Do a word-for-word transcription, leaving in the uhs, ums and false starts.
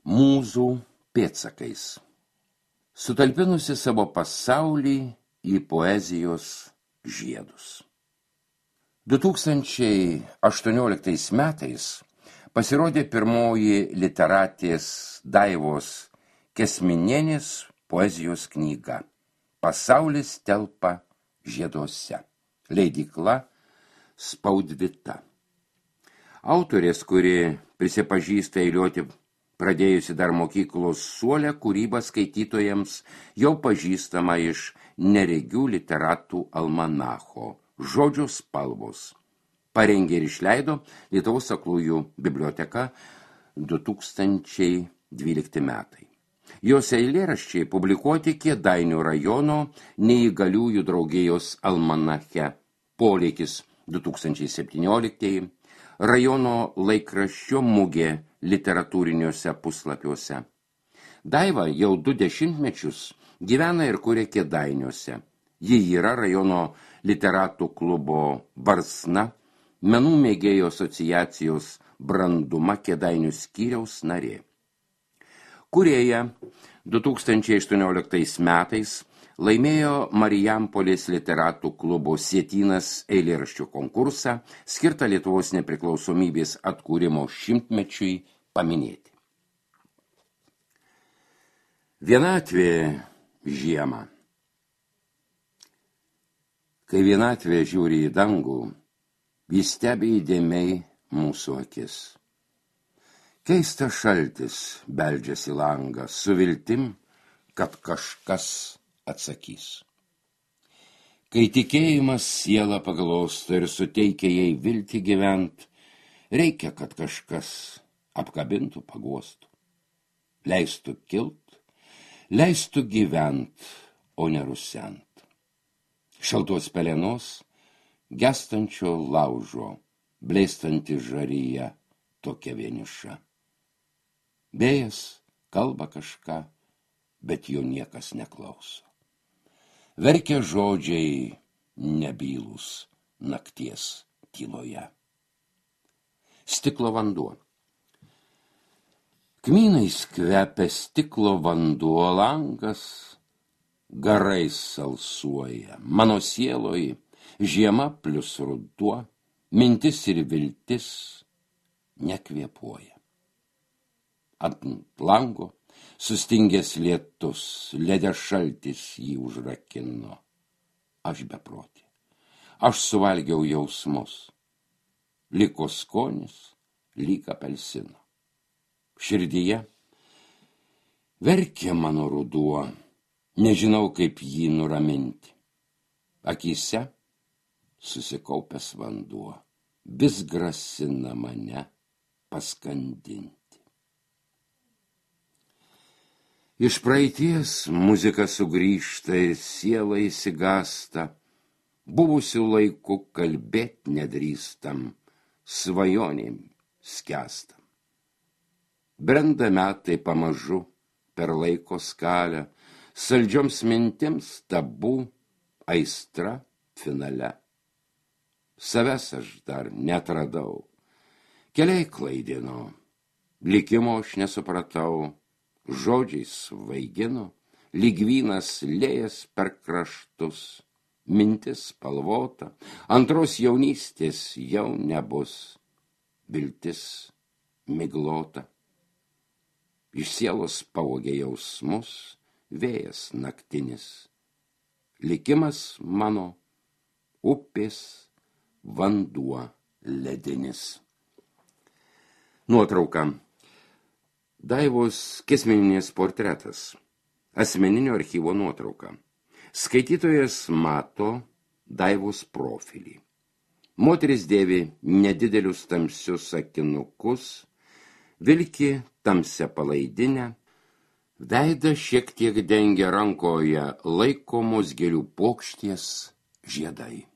mūzų pėdsakais, sutalpinusi savo pasaulį į poezijos žiedus. du tūkstančiai aštuonioliktais metais pasirodė pirmoji literatės Daivos Kesminienės poezijos knyga Pasaulis telpa žieduose. Leidykla Spaudvita. Autorės, kuri prisipažįsta eiliuoti pradėjusi dar mokyklos suolę, kūrybą skaitytojams jau pažįstama iš Neregių literatų almanacho Žodžio spalvos. Parengė ir išleido Lietuvos aklųjų biblioteka du tūkstančiai dvylikti metai. Jos eilėraščiai publikuoti Kėdainių rajono neįgaliųjų draugijos almanache Poleikis du tūkstančiai septynioliktieji, rajono laikraščio Mugė literatūriniuose puslapiuose. Daiva jau du dešimtmečius gyvena ir kuria Kėdainiuose. Ji yra rajono literatų klubo Varsna, menų mėgėjų asociacijos Branduma Kėdainių skyriaus narė. Kūrėja du tūkstančiai aštuonioliktais metais laimėjo Marijampolės literatų klubo Sietynas eilėraščių konkursą, skirtą Lietuvos nepriklausomybės atkūrimo šimtmečiui paminėti. Vienatvė žiemą. Kai vienatvė žiūri į dangų, jis stebi įdėmiai mūsų akis. Keistas šaltis beldžiasi langą su viltim, kad kažkas atsakys. Kai tikėjimas sielą paglosto ir suteikia jai viltį gyvent, reikia, kad kažkas apkabintų, paguostų, leistų kilt, leistų gyvent, o ne rusent. Šaltos pelenos, gestančio laužo, blėstanti žaryje, tokia vieniša. Vėjas kalba kažką, bet jo niekas neklauso. Verkia žodžiai nebylūs nakties tyloje. Stiklo vanduo. Kmynais kvepia stiklo vanduo, langas garais salsuoja. Mano sieloj žiema plius ruduo, mintis ir viltis nekvėpuoja. Ant lango sustingęs lietus, ledė šaltis jį užrakino. Aš beprotė. Aš suvalgiau jausmus. Liko skonis, lyg apelsino. Širdyje verkia mano ruduo, nežinau, kaip jį nuraminti. Akyse susikaupęs vanduo, vis grasina mane paskandinti. Iš praeities muzika sugrįžta ir siela įsigasta, buvusių laikų kalbėt nedrįstam, svajonėm skęstam. Brenda metai pamažu per laiko skalę, saldžioms mintims tabu, aistra finale. Savęs aš dar netradau, keliai klaidino, likimo aš nesupratau, žodžiais svaigino, lyg vynas lėjas per kraštus, mintis spalvota, antros jaunystės jau nebus, viltis miglota. Iš sielos pavogė jausmus, vėjas naktinis, likimas mano, upės vanduo ledinis. Nuotrauka. Daivos Kesminienės portretas. Asmeninio archyvo nuotrauka. Skaitytojas mato Daivos profilį. Moteris dėvi nedidelius tamsius akinukus, vilki tamsią palaidinę, veidą šiek tiek dengia rankoje laikomos gėlių puokštės žiedai.